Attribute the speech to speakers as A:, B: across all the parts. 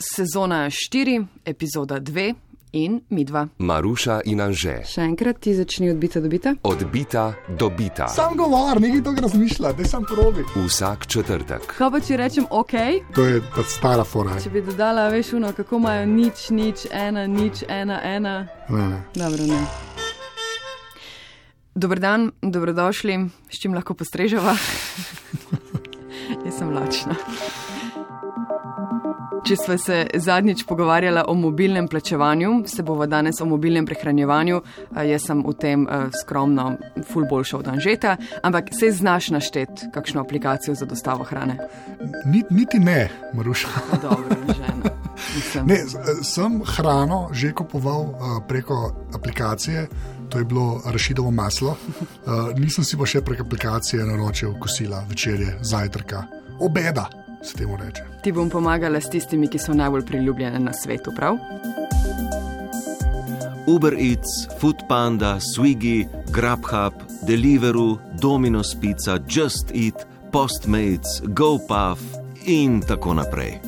A: sezona 4, epizoda 2 in midva.
B: Maruša in Anže.
A: Še enkrat ti začni odbita do bita.
B: Odbita do bita.
C: Sam govor, nekaj tega razmišlja, da sam probi.
B: Vsak četrtek.
A: Kaj pa če rečem ok?
C: To je pa stara fora.
A: Če bi dodala, veš, kako imajo 0, 0, 1, 0, 1, 1.
C: Ne.
A: Dobro, ne. Dober dan, dobrodošli, s čim lahko postreževa? Jaz sem lačna. Če sva se zadnjič pogovarjala o mobilnem plačevanju, se bova danes o mobilnem prehranjevanju. Jaz sem v tem skromno ful boljša od Anžeta, ampak se znaš našteti kakšno aplikacijo za dostavo hrane?
C: Niti ne, Maruša.
A: Dobro, žena.
C: Ne, sem hrano že kupoval preko aplikacije, to je bilo arašidovo maslo. Nisem si pa še preko aplikacije naročil kosila, večerje, zajtrka, obeda. Se temu reče.
A: Ti bom pomagala s tistimi, ki so najbolj priljubljene na svetu, prav?
D: Uber Eats, Foodpanda, Swiggy, Grubhub, Deliveroo, Domino's Pizza, Just Eat, Postmates, GoPuff in tako naprej.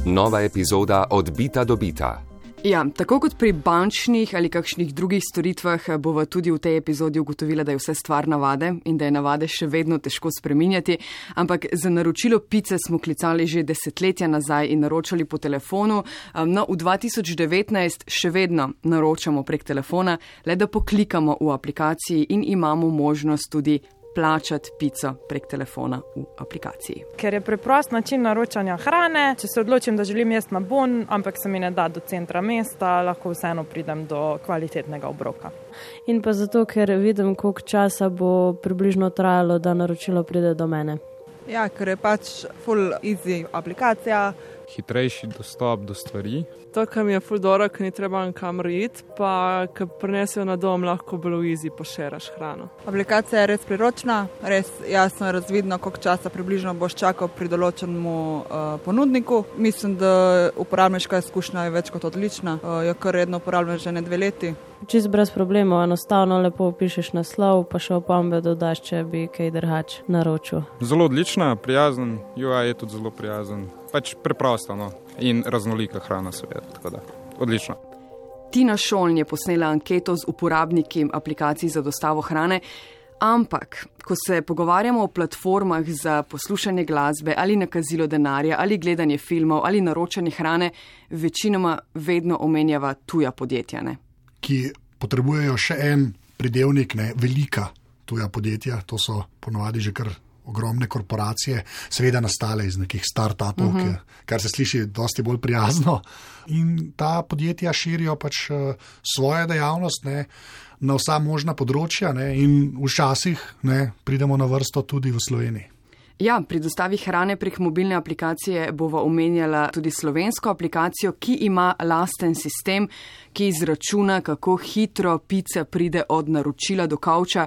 B: Nova epizoda Odbita do bita.
A: Ja, tako kot pri bančnih ali kakšnih drugih storitvah bova tudi v tej epizodi ugotovila, da je vse stvar navade in da je navade še vedno težko spreminjati, ampak za naročilo pice smo klicali že desetletja nazaj in naročali po telefonu. No, v 2019 še vedno naročamo prek telefona, le da poklikamo v aplikaciji in imamo možnost tudi plačati pico prek telefona v aplikaciji.
E: Ker je preprost način naročanja hrane, če se odločim, da želim jesti na bon, ampak se mi ne da do centra mesta, lahko vseeno pridem do kvalitetnega obroka.
F: In pa zato, ker vidim, koliko časa bo približno trajalo, da naročilo pride do mene.
G: Ja, ker je pač full easy aplikacija.
H: Hitrejši dostop do stvari.
I: To, kar mi je ful dobro, ker ni treba nikamor iti, pa ker prinesejo na dom, lahko bilo easy pošeraš hrano.
G: Aplikacija je res priročna, res jasno je razvidno, koliko časa približno boš čakal pri določenemu ponudniku. Mislim, da uporabniška izkušnja je več kot odlična, jo kar redno uporabljam že 2 leti.
F: Čisto brez problemov, enostavno lepo pišeš naslov, pa še opombe dodaš, če bi kaj drugače naročil.
H: Zelo odlična, prijazen, UI je tudi zelo prijazen. Pač preprosto, no. In raznolika hrana seveda, tako da odlično.
A: Tina Šoln je posnela anketo z uporabniki aplikacij za dostavo hrane, ampak ko se pogovarjamo o platformah za poslušanje glasbe ali nakazilo denarja ali gledanje filmov ali naročanje hrane, večinoma vedno omenjava tuja podjetja, ne?
C: Ki potrebujejo še en pridevnik, ne, velika tuja podjetja, to so ponovadi že kar ogromne korporacije, seveda nastale iz nekih start-upov, kar se sliši dosti bolj prijazno. In ta podjetja širijo pač svojo dejavnost, ne, na vsa možna področja, ne, in včasih, ne, pridemo na vrsto tudi v Sloveniji.
A: Ja, pri dostavi hrane prek mobilne aplikacije bova omenjala tudi slovensko aplikacijo, ki ima lasten sistem, ki izračuna, kako hitro pica pride od naročila do kavča.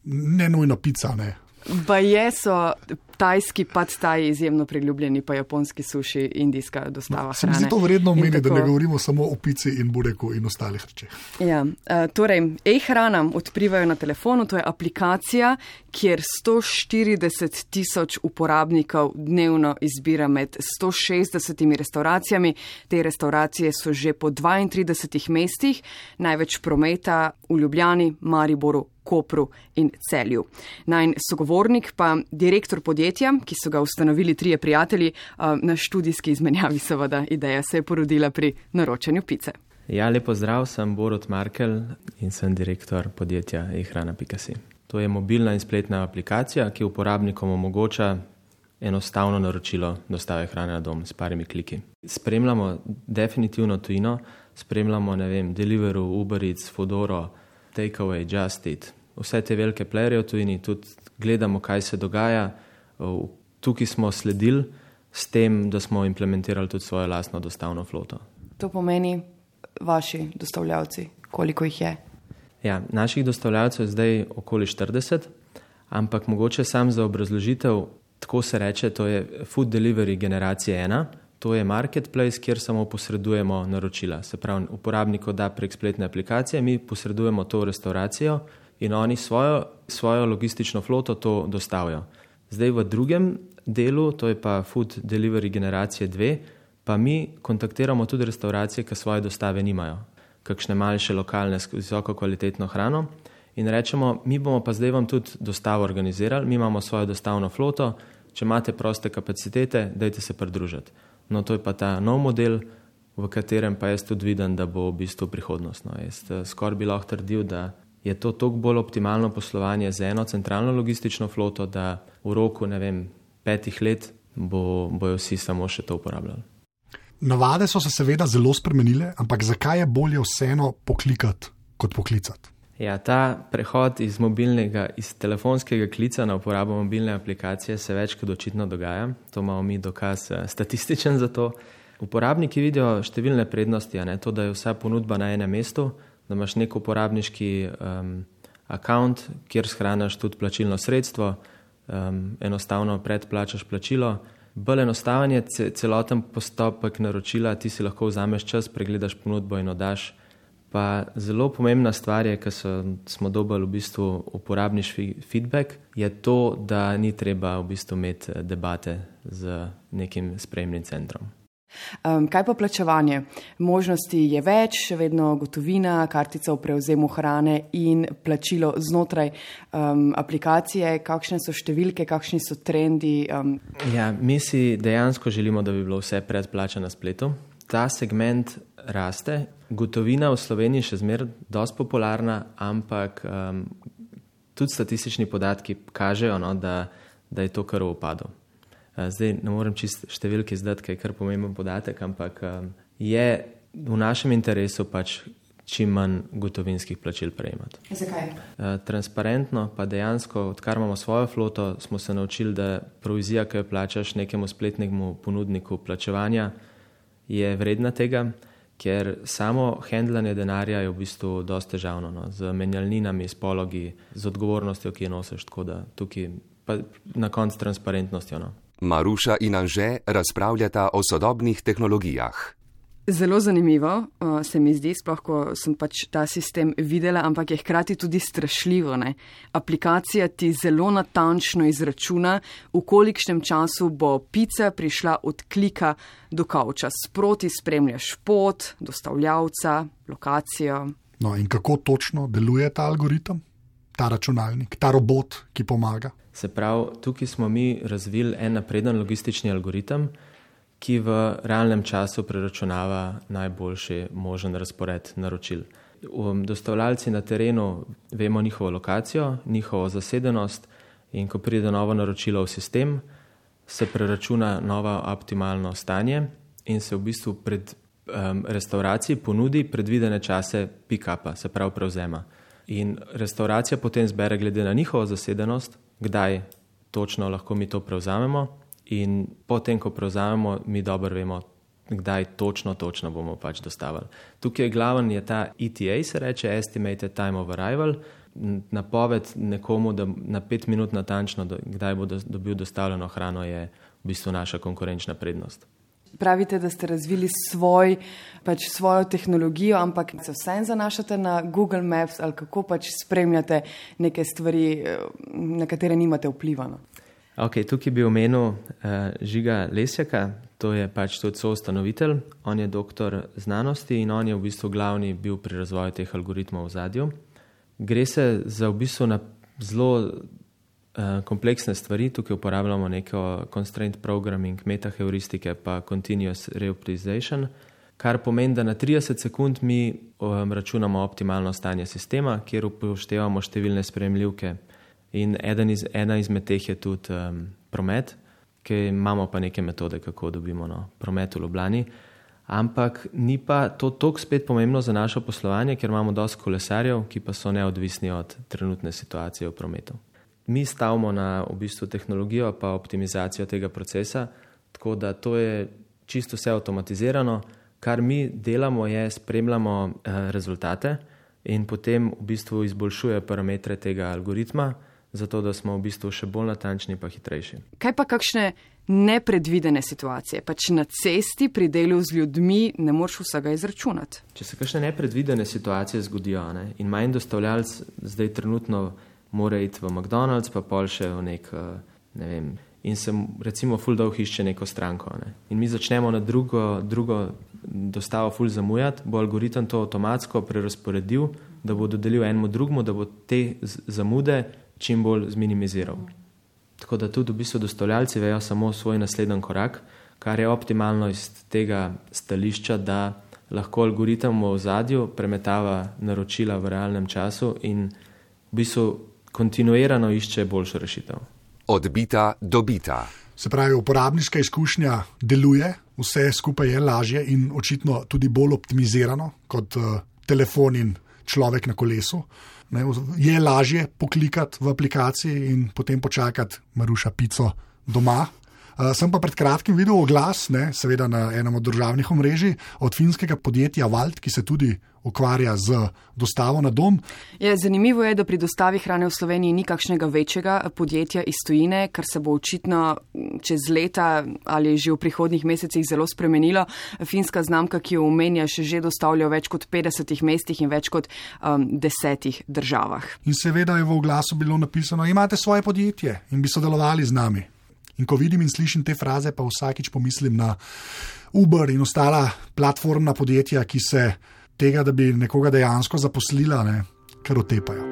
C: Ne nujno pica, ne.
A: Baje so tajski pad taj izjemno priljubljeni, pa japonski suši, indijska dostava hrane.
C: Se mi zdi to vredno omeniti, da ne govorimo samo o pici in bureku in ostalih rečeh.
A: Ja, torej, e-hrana odprivajo na telefonu, to je aplikacija, kjer 140,000 uporabnikov dnevno izbira med 160 restauracijami. Te restauracije so že po 32 mestih, največ prometa v Ljubljani, Mariboru, Kopru in Celju. Najin sogovornik pa direktor podjetja, ki so ga ustanovili 3 prijatelji, na študijski izmenjavi seveda ideja se je porodila pri naročanju pice.
J: Ja, lepo zdrav, sem Borut Markel in sem direktor podjetja ehrana.si. To je mobilna in spletna aplikacija, ki uporabnikom omogoča enostavno naročilo dostave hrane na dom s parimi kliki. Spremljamo definitivno tujino, spremljamo, Deliveroo, Uber Eats, Foodora, Takeaway, Just Eat. Vse te velike playerje v tujini, tudi gledamo, kaj se dogaja. Tukaj smo sledili s tem, da smo implementirali tudi svojo lastno dostavno floto.
A: To pomeni vaši dostavljavci, koliko jih je?
J: Ja, naših dostavljavcev je zdaj okoli 40, ampak mogoče sam za obrazložitev, tako se reče, to je food delivery generacije 1, to je marketplace, kjer samo posredujemo naročila. Se pravi, uporabnik da prek spletne aplikacije, mi posredujemo to v restauracijo in oni svojo logistično floto to dostavijo. Zdaj v drugem delu, to je pa Food Delivery generacije 2, pa mi kontaktiramo tudi restauracije, ki svoje dostave nimajo, kakšne manjše lokalne s visoko kvalitetno hrano in rečemo, mi bomo pa zdaj vam tudi dostavo organizirali, mi imamo svojo dostavno floto, če imate proste kapacitete, dajte se pridružiti. No, to je pa ta nov model, v katerem pa jaz tudi vidim, da bo v bistvu prihodnost. No, jaz skoraj bi lahko trdil, da je to toliko bolj optimalno poslovanje z eno centralno logistično floto, da v roku, 5 let bojo vsi samo še to uporabljali.
C: Navade so se seveda zelo spremenile, ampak zakaj je bolje vseeno poklikati kot poklicati?
J: Ja, ta prehod iz telefonskega klica na uporabo mobilne aplikacije se več kot očitno dogaja. To imamo mi dokaz statističen za to. Uporabniki vidijo številne prednosti, to, da je vsa ponudba na enem mestu, da imaš nek uporabniški account, kjer shranaš tudi plačilno sredstvo, enostavno predplačaš plačilo. Bolj enostaven je celoten postopek naročila, ti si lahko vzameš čas, pregledaš ponudbo in oddaš. Pa zelo pomembna stvar je, ker smo dobili v bistvu uporabniški feedback, je to, da ni treba v bistvu imeti debate z nekim sprejemnim centrom.
A: Kaj pa plačevanje? Možnosti je več, še vedno gotovina, kartica v prevzemu hrane in plačilo znotraj aplikacije. Kakšne so številke, kakšni so trendi?
J: Ja, mi si dejansko želimo, da bi bilo vse predplača na spletu. Ta segment raste. Gotovina v Sloveniji še zmeraj dosti popularna, ampak tudi statistični podatki kažejo, da je to kar v upadu. Zdaj ne morem čisto številke izdati, kaj je kar pomemben podatek, ampak je v našem interesu pač čim manj gotovinskih plačil prejemati.
A: Zakaj?
J: Transparentno, pa dejansko, odkar imamo svojo floto, smo se naučili, da provizija, ki jo plačaš nekemu spletnemu ponudniku plačevanja, je vredna tega, ker samo handlanje denarja je v bistvu dosti težavno, z menjalninami, s pologi, z odgovornostjo, ki jo nosiš, tako da tukaj pa na koncu transparentnostjo.
B: Maruša in Anže razpravljata o sodobnih tehnologijah.
A: Zelo zanimivo se mi zdi, sploh ko sem pač ta sistem videla, ampak je hkrati tudi strašljivo. Aplikacija ti zelo natančno izračuna, v kolikšnem času bo pica prišla od klika do kavča. Sproti spremljaš pot, dostavljavca, lokacijo.
C: No in kako točno deluje ta algoritem, ta računalnik, ta robot, ki pomaga?
J: Se pravi, tukaj smo mi razvili en napreden logistični algoritem, ki v realnem času preračunava najboljši možen razpored naročil. Dostavljalci na terenu vemo njihovo lokacijo, njihovo zasedenost in ko pride novo naročilo v sistem, se preračuna novo optimalno stanje in se v bistvu pred restauraciji ponudi predvidene čase pick-upa, se pravi prevzema. In restauracija potem zbere glede na njihovo zasedenost, kdaj točno lahko mi to prevzamemo in potem, ko prevzamemo, mi dobro vemo, kdaj točno bomo pač dostavili. Tukaj je glaven je ta ETA, se reče, Estimated Time of Arrival, napoved nekomu, da na 5 minut natančno, kdaj bo dobil dostavljeno hrano, je v bistvu naša konkurenčna prednost.
A: Pravite, da ste razvili svojo tehnologijo, ampak se vsem zanašate na Google Maps ali kako pač spremljate neke stvari, na katere nimate vpliva?
J: Ok, tukaj bi omenil Žiga Lesjaka, to je pač tudi soustanovitelj, on je doktor znanosti in on je v bistvu glavni bil pri razvoju teh algoritmov v zadju. Gre se za v bistvu na zelo kompleksne stvari, tukaj uporabljamo neko constraint programming, metaheuristike pa continuous reoptimization, kar pomeni, da na 30 sekund mi računamo optimalno stanje sistema, kjer upoštevamo številne sprejemljivke. In ena izmed teh je tudi promet, ki imamo pa neke metode, kako dobimo promet v Ljubljani. Ampak ni pa to toliko spet pomembno za naše poslovanje, ker imamo dosti kolesarjev, ki pa so neodvisni od trenutne situacije v prometu. Mi stavimo na v bistvu tehnologijo pa optimizacijo tega procesa, tako da to je čisto vse avtomatizirano. Kar mi delamo je spremljamo rezultate in potem v bistvu izboljšuje parametre tega algoritma, zato da smo v bistvu še bolj natančni pa hitrejši.
A: Kaj pa kakšne nepredvidene situacije? Pač na cesti pri delu z ljudmi ne moreš vsega izračunati.
J: Če se kakšne nepredvidene situacije zgodijo, in manj dostavljalc zdaj trenutno mora iti v McDonald's, pa pol še v nek in se recimo ful dolgo išče neko stranko. Ne. In mi začnemo na drugo dostavo ful zamujati, bo algoritem to avtomatsko prerasporedil, da bo dodelil enemu drugemu, da bo te zamude čim bolj zminimiziral. Tako da tudi v bistvu dostavljalci vejo samo svoj naslednji korak, kar je optimalno iz tega stališča, da lahko algoritem v ozadju premetava naročila v realnem času in v bistvu kontinuirano išče boljšo rešitev.
B: Odbita dobita.
C: Se pravi, uporabniška izkušnja deluje, vse skupaj je lažje in očitno tudi bolj optimizirano kot telefon in človek na kolesu. Ne, je lažje poklikati v aplikaciji in potem počakati Maruša pico doma. Sem pa pred kratkim videl oglas, seveda na enem od državnih omrežij, od finskega podjetja Valt, ki se tudi ukvarja z dostavo na dom.
A: Zanimivo je, da pri dostavi hrane v Sloveniji ni kakšnega večjega podjetja iz tujine, kar se bo očitno čez leta ali že v prihodnjih mesecih zelo spremenilo. Finska znamka, ki jo omenjaš, že dostavlja v več kot 50 mestih in več kot 10 državah.
C: In seveda je v oglasu bilo napisano, imate svoje podjetje in bi sodelovali z nami. In ko vidim in slišim te fraze, pa vsakič pomislim na Uber in ostala platformna podjetja, ki se tega, da bi nekoga dejansko zaposlila, kar otepajo.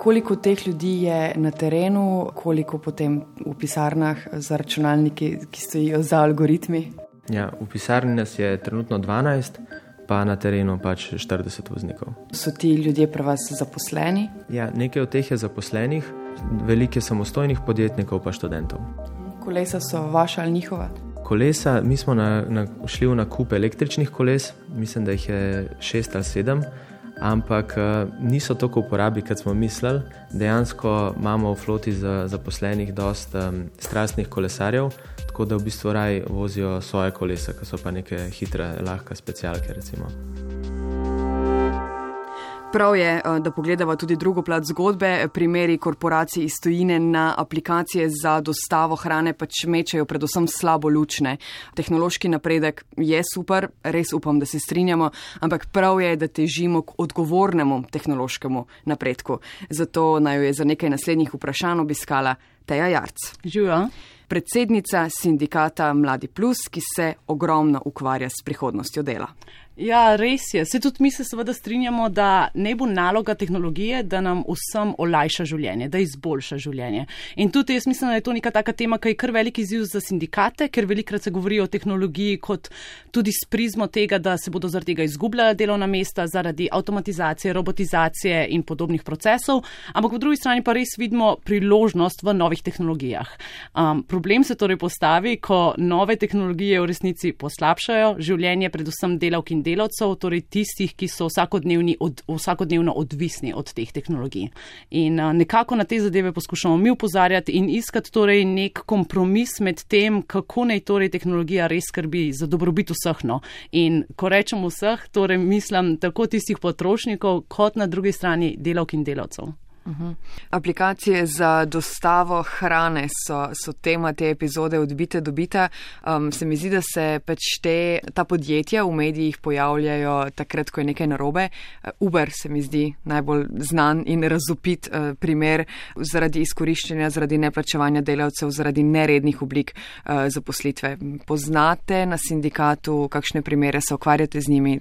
A: Koliko teh ljudi je na terenu, koliko potem v pisarnah za računalniki, ki stojijo za algoritmi?
J: Ja, v pisarni nas je trenutno 12, pa na terenu pač 40 voznikov.
A: So ti ljudje pri vas zaposleni?
J: Ja, nekaj od teh je zaposlenih, veliko je samostojnih podjetnikov pa študentov.
A: Kolesa so vaša ali njihova?
J: Kolesa, mi smo šli v nakup električnih koles, mislim, da jih je 6 ali 7, ampak niso toliko uporabi, kot smo mislili. Dejansko imamo v floti zaposlenih dosta strastnih kolesarjev, tako da v bistvu raj vozijo svoje kolesa, ki so pa neke hitre, lahke specialke recimo.
A: Prav je, da pogledava tudi drugo plat zgodbe. Primeri korporacij iz tujine na aplikacije za dostavo hrane pač mečejo predvsem slabo lučne. Tehnološki napredek je super, res upam, da se strinjamo, ampak prav je, da težimo k odgovornemu tehnološkemu napredku. Zato naj jo je za nekaj naslednjih vprašanj obiskala Teja Jarc.
K: Živijo.
A: Predsednica sindikata Mladi Plus, ki se ogromno ukvarja s prihodnostjo dela.
K: Ja, res je. Se tudi mi se seveda strinjamo, da ne bo naloga tehnologije, da nam vsem olajša življenje, da izboljša življenje. In tudi jaz mislim, da je to neka taka tema, ki je kar velik izziv za sindikate, ker velikrat se govori o tehnologiji kot tudi s prizmo tega, da se bodo zaradi tega izgubljala delovna mesta, zaradi avtomatizacije, robotizacije in podobnih procesov, ampak po drugi strani pa res vidimo priložnost v novih tehnologijah. Problem se torej postavi, ko nove tehnologije v resnici poslabšajo življenje predvsem delavk in delavcev, torej tistih, ki so vsakodnevno odvisni od teh tehnologij. In nekako na te zadeve poskušamo mi opozarjati in iskati torej nek kompromis med tem, kako naj torej tehnologija res skrbi za dobrobit vseh. In ko rečem vseh, torej mislim tako tistih potrošnikov, kot na drugi strani delavk in delavcev.
A: Aplikacije za dostavo hrane so tema te epizode Odbite dobita. Se mi zdi, da se pač ta podjetja v medijih pojavljajo takrat, ko je nekaj narobe. Uber se mi zdi najbolj znan in razvpit primer zaradi izkoriščanja, zaradi neplačevanja delavcev, zaradi nerednih oblik zaposlitve. Poznate na sindikatu kakšne primere, se ukvarjate z njimi?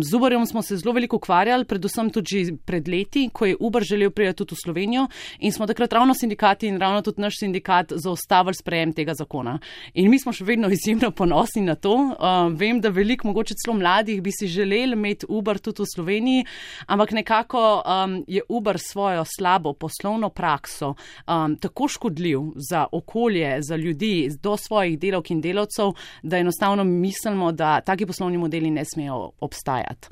K: Z Uberjem smo se zelo veliko ukvarjali, predvsem tudi pred leti, ko je Uber želel priti tudi v Slovenijo in smo takrat ravno sindikati in ravno tudi naš sindikat zaustavili sprejem tega zakona. In mi smo še vedno izjemno ponosni na to. Vem, da veliko, mogoče celo mladih, bi si želeli imeti Uber tudi v Sloveniji, ampak nekako je Uber svojo slabo poslovno prakso tako škodljiv za okolje, za ljudi, do svojih delavk in delavcev, da enostavno mislimo, da taki poslovni modeli ne smejo obstajati.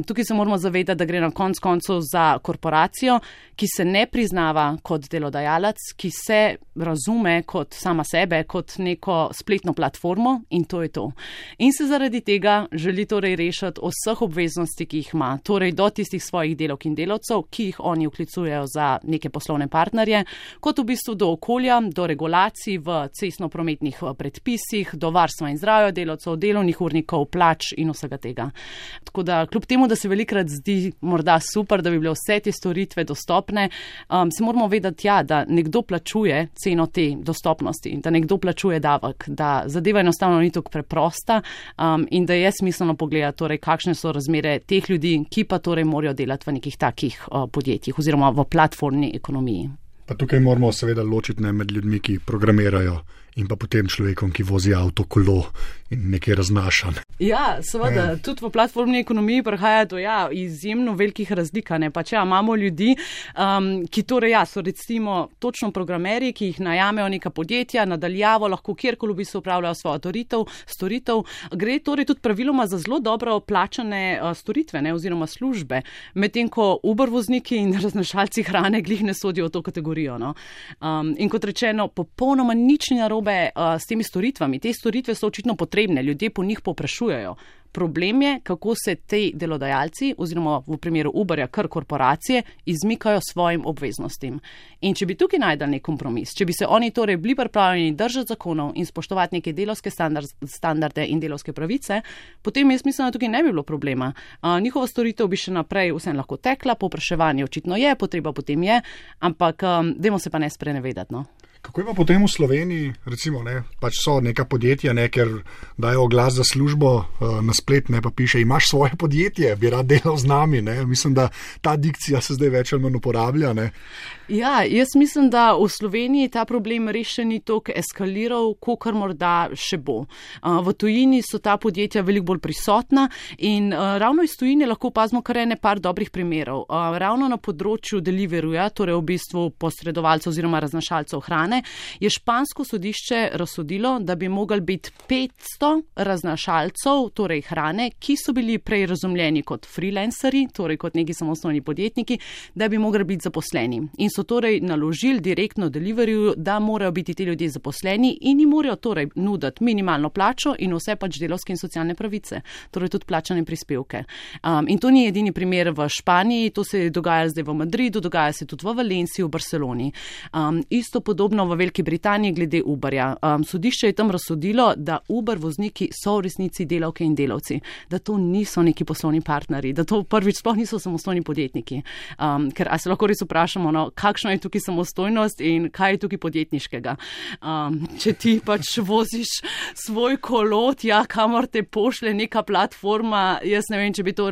K: Tukaj se moramo zavedati, da gre na konec koncev za korporacijo, ki se ne priznava kot delodajalec, ki se razume kot sama sebe, kot neko spletno platformo in to je to. In se zaradi tega želi torej rešiti vseh obveznosti, ki jih ima, torej do tistih svojih delavk in delavcev, ki jih oni vklicujejo za neke poslovne partnerje, kot v bistvu do okolja, do regulacij v cestno-prometnih predpisih, do varstva in zdravja delavcev, delovnih urnikov, plač in vsega tega. Tako da kljub temu, da se velikrat zdi morda super, da bi bile vse te storitve dostopne, se moramo vedeti, da nekdo plačuje ceno te dostopnosti, da nekdo plačuje davek, da zadeva enostavno ni tako preprosta in da je smiselno pogledati, torej, kakšne so razmere teh ljudi, ki pa torej morajo delati v nekih takih podjetjih oziroma v platformni ekonomiji.
C: Pa tukaj moramo seveda ločiti med ljudmi, ki programirajo in pa potem človekom, ki vozi avto, kolo in nekaj raznaša.
K: Ja, seveda, tudi v platformni ekonomiji prihaja do izjemno velikih razlik. Pač imamo ljudi, ki torej so recimo točno programerji, ki jih najamejo neka podjetja, nadaljavo lahko kjerkoli v bistvu upravljajo svojo storitev. Gre torej tudi praviloma za zelo dobro plačane storitve, oziroma službe, medtem ko Uber vozniki in raznašalci hrane glih ne sodijo v to kategorijo. In kot rečeno, popolnoma nič ni narobe s temi storitvami. Te storitve so očitno potrebne, ljudje po njih povprašujejo. Problem je, kako se ti delodajalci, oziroma v primeru Uberja kar korporacije, izmikajo svojim obveznostim. In če bi tukaj najdel nek kompromis, če bi se oni torej bili pripravljeni držati zakonov in spoštovati neke delovske standarde in delovske pravice, potem jaz mislim, da tukaj ne bi bilo problema. Njihova storitev bi še naprej vsem lahko tekla, povpraševanje očitno je, potreba potem je, ampak dajmo se pa ne sprenevedati.
C: Kako je pa potem v Sloveniji, recimo, pač so neka podjetja, ker dajo oglas za službo na splet, pa piše, imaš svoje podjetje, bi rad delal z nami. Mislim, da ta dikcija se zdaj več ali manj uporablja.
K: Ja, jaz mislim, da v Sloveniji ta problem res še ni toliko eskaliral, kolikor morda še bo. V tujini so ta podjetja veliko bolj prisotna in ravno iz tujine lahko opazimo kar par dobrih primerov. Ravno na področju deliveryja, torej v bistvu posredovalcev oziroma raznašalcev hrane, je špansko sodišče razsodilo, da bi mogli biti 500 raznašalcev, torej hrane, ki so bili prej razumljeni kot freelanceri, torej kot neki samostojni podjetniki, da bi mogli biti zaposleni. In so torej naložili direktno deliveryju, da morajo biti ti ljudje zaposleni in jim morajo torej nuditi minimalno plačo in vse pač delovske in socialne pravice, torej tudi plačane prispevke. In to ni edini primer v Španiji, to se dogaja zdaj v Madridu, dogaja se tudi v Valenciji, v Barceloni. Isto podobno v Veliki Britaniji glede Uberja. Sodišče je tam razsodilo, da Uber vozniki so v resnici delavke in delavci, da to niso neki poslovni partnerji, da to prvič sploh niso samostojni podjetniki. Ker se lahko res vprašamo, kakšna je tukaj samostojnost in kaj je tukaj podjetniškega. Če ti pač voziš svoj kolo, kamor te pošle neka platforma, jaz ne vem, če bi to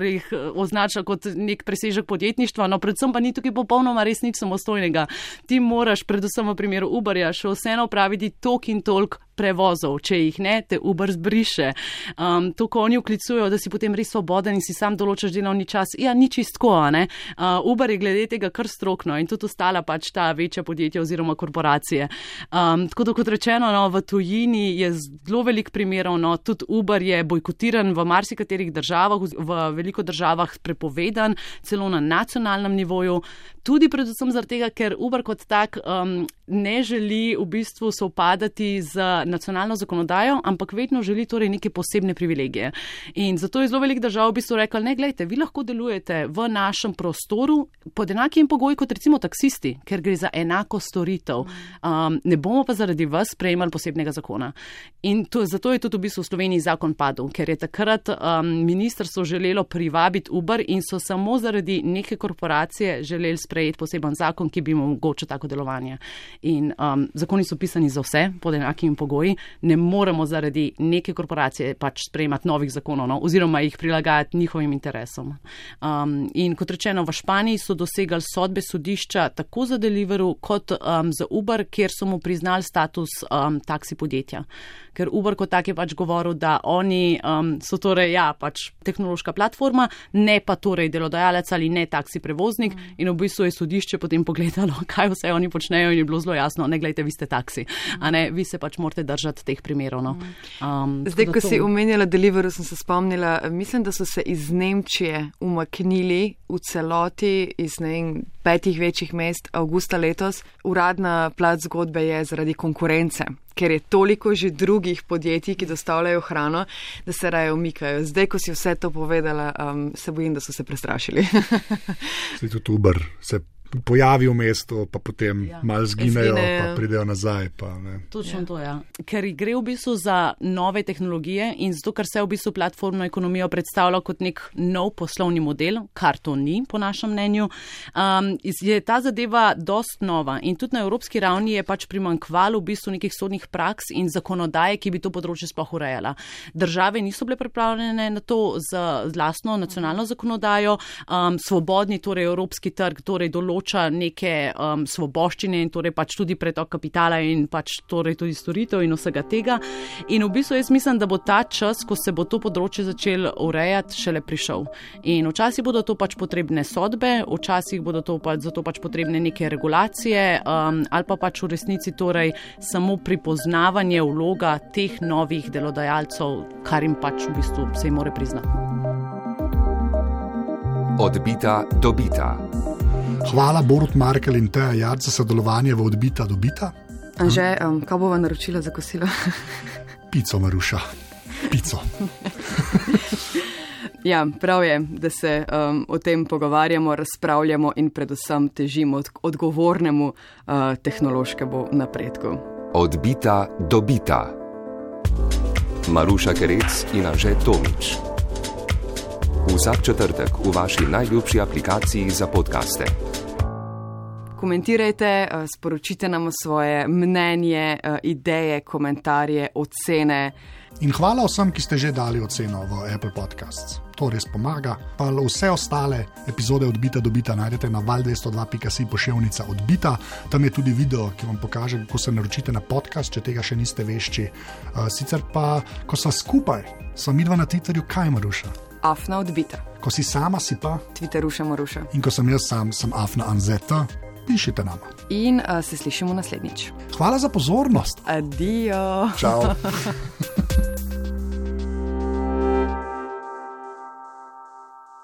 K: označila kot nek presežek podjetništva, predvsem pa ni tukaj popolnoma res nič samostojnega. Ti moraš predvsem v primeru Uberja še vseeno opraviti toliko in toliko prevozov, če jih ne, te Uber zbriše. To, ko oni vklicujejo, da si potem res svoboden in si sam določaš delovni čas, ni čistko, Uber je glede tega kar strokno in tudi ostala pač ta večja podjetja oziroma korporacije. Tako da, kot rečeno, v tujini je zelo velik primerov, tudi Uber je bojkotiran v marsikaterih državah, v veliko državah prepovedan, celo na nacionalnem nivoju, tudi predvsem zaradi tega, ker Uber kot tak ne želi v bistvu sovpadati z nacionalno zakonodajo, ampak vedno želi torej neke posebne privilegije. In zato je zelo velik držav v bistvu rekli, glejte, vi lahko delujete v našem prostoru pod enakim pogoji kot recimo taksisti, ker gre za enako storitev. Ne bomo pa zaradi vas sprejemali posebnega zakona. In zato je tudi v bistvu v Sloveniji zakon padel, ker je takrat ministrstvo želelo privabiti Uber in so samo zaradi neke korporacije želeli sprejeti poseben zakon, ki bi mu omogočil tako delovanje. In zakoni so pisani za vse pod enakimi pogoji. Ne moremo zaradi neke korporacije pač sprejemati novih zakonov, oziroma jih prilagajati njihovim interesom. In kot rečeno, v Španiji so dosegali sodbe sodišča tako za Deliveroo kot za Uber, kjer so mu priznali status taksi podjetja. Ker Uber kot tak je pač govoril, da oni so torej pač tehnološka platforma, ne pa torej delodajalec ali ne taksi prevoznik in v bistvu je sodišče potem pogledalo, kaj vse oni počnejo in je bilo zelo jasno, ne glejte, vi ste taksi, vi se pač morate držati teh primerov.
A: Zdaj, ko si omenjala Deliveroo, sem se spomnila, mislim, da so se iz Nemčije umaknili v celoti iz 5 večjih mest avgusta letos. Uradna plat zgodbe je zaradi konkurence, ker je toliko že drugih podjetij, ki dostavljajo hrano, da se raje umikajo. Zdaj, ko si vse to povedala, se bojim, da so se prestrašili.
C: Tudi Uber se pojavi v mestu, pa potem malo zginejo, pa pridejo nazaj.
K: Točno to, ja. Ker gre v bistvu za nove tehnologije in zato, ker se v bistvu platformno ekonomijo predstavlja kot nek nov poslovni model, kar to ni, po našem mnenju, je ta zadeva dost nova in tudi na evropski ravni je pač primanjkvalo v bistvu nekih sodnih praks in zakonodaje, ki bi to področje sploh urejala. Države niso bile pripravljene na to z lastno nacionalno zakonodajo, svobodni, torej evropski trg, torej določa neke svoboščine in torej pač tudi pretok kapitala in pač torej tudi storitev in vsega tega. In v bistvu jaz mislim, da bo ta čas, ko se bo to področje začel urejati, šele prišel. In včasih bodo to pač potrebne sodbe, včasih bodo to pač zato pač potrebne neke regulacije ali pa pač v resnici torej samo pripoznavanje vloga teh novih delodajalcev, kar jim pač v bistvu se jim more priznati.
B: Odbita do bita.
C: Hvala Borut Markel in Teja Jarc za sodelovanje v Odbita do bita.
A: Anže, kaj bova naročila za kosilo?
C: Pico, Maruša. Pico.
A: Ja, prav je, da se o tem pogovarjamo, razpravljamo in predvsem težimo odgovornemu tehnološkemu napredku.
B: Odbita do bita. Maruša Kerec in Anže Tomič. Vsak četrtek v vaši najljubši aplikaciji za podcaste.
A: Komentirajte, sporočite nam svoje mnenje, ideje, komentarje, ocene.
C: In hvala vsem, ki ste že dali oceno v Apple Podcasts. To res pomaga. Pa vse ostale epizode Odbita do bita najdete na val202.si /odbita. Tam je tudi video, ki vam pokaže, kako se naročite na podcast, če tega še niste vešči. Sicer pa, ko sva skupaj, sva midva na Twitterju, kaj Maruša?
A: Afna Odbita.
C: Ko si sama, si pa?
A: Twitteruša Maruša.
C: In ko sem jaz sam, sem Afna Anzeta. Pišite nam.
A: In se slišimo naslednjič.
C: Hvala za pozornost.
A: Adijo.
C: Čau.